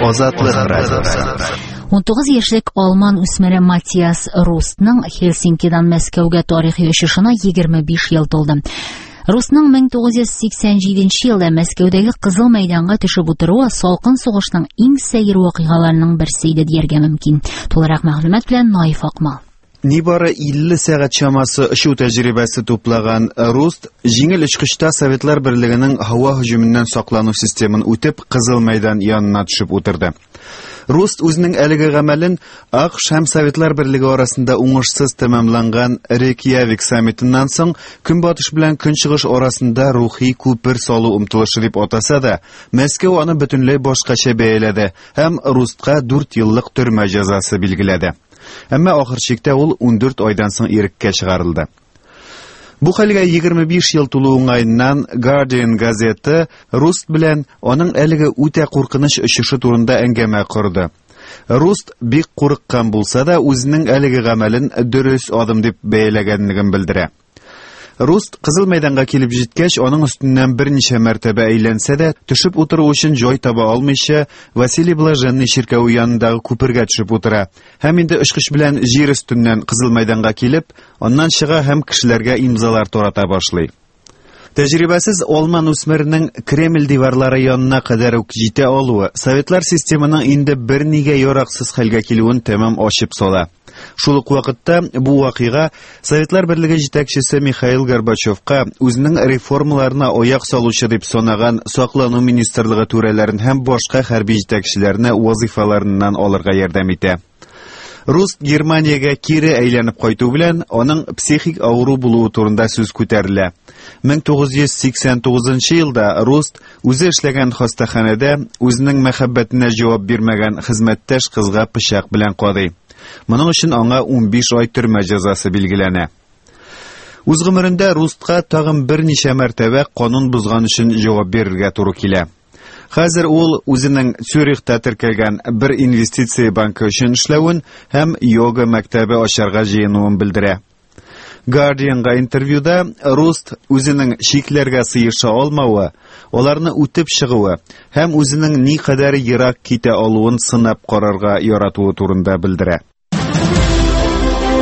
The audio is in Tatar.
Азатлык радиосы. 19 яшьлек алман үсмере Матиас Рустның Хельсинкидан Мәскәүгә тарихи очышына 25 ел тулды. Русның 1987 елда Мәскәүдәге Кызыл мәйданга төшеп утыруы салкын сугышның иң сәер вакыйгаларының берсе иде дияргә мөмкин. Тулырак мәгълүмат белән Наиф Акмал. Нибары 50 сәгать чамасы очу тәҗрибәсе туплаган Руст җиңел очкычта Советлар Берлегенең һава һөҗүменнән саклану системын үтеп, Кызыл мәйдан янына төшеп утырды. Руст үзенең әлеге гамәлен АКШ һәм Советлар Берлеге арасында уңышсыз тәмамланган Рейкьявик саммитыннан соң Көнбатыш белән Көнчыгыш арасында рухи күпер салу омтылышы дип атаса да, Мәскәү аны бөтенләй башкача бәяләде һәм Рустка 4 еллык төрмә җәзасы билгеләде. Әмма ахыр чиктә ул 14 айдан соң иреккә чыгарылды. Бу хәлгә 25 ел тулу уңаеннан Guardian газеты Руст белән аның әлеге үтә куркыныч очышы турында әңгәмә корды. Руст бик курыккан булса да, үзенең әлеге гамәлен дөрес адым дип бәяләгәнлеген белдерә. Руст Кызыл мәйданга килеп җиткәч, аның өстеннән берничә мәртәбә әйләнсә дә, төшеп утыру өчен җай таба алмыйча, Василий Блаженный чиркәве янындагы күпергә төшеп утыра. Һәм инде очкыч белән җир өстеннән Кызыл мәйданга килеп, аннан чыга һәм кешеләргә имзалар тарата башлый. Тәҗрибәсез алман үсмеренең Кремль диварлары янына кадәр үк җитә алуы Советлар системының инде бернигә яраксыз хәлгә килүен тәмам ачып сала. Шул ук вакытта бу вакыйга Советлар Берлеге җитәкчесе Михаил Горбачевка үзенең реформаларына аяк салучы дип санаган саклану министрлыгы түрәләрен һәм башка хәрби җитәкчеләрне вазыйфаларыннан алырга ярдәм итә. Руст Германиягә кире әйләнеп кайту белән аның психик авыру булуы турында сүз күтәрелә. 1989 елда Руст үзе эшләгән хастаханәдә үзенең мәхәббәтенә җавап бирмәгән хезмәттәш кызга пычак белән кадый. Моның өчен аңа 15 ай төрмә җәзасы билгеләнә. Үз гомерендә Рустка тагын берничә мәртәбә канун бозган өчен җавап бирергә туры килә. Хәзер ул үзенең Цюрихта теркәлгән бер инвестиция банкы өчен эшләвен һәм йога мәктәбе ачарга җыенуын белдерә. Guardianга интервьюда Руст үзенең чикләргә сыеша алмавы, аларны үтеп чыгуы һәм үзенең никадәр ерак китә алуын сынап карарга яратуы турында белдерә.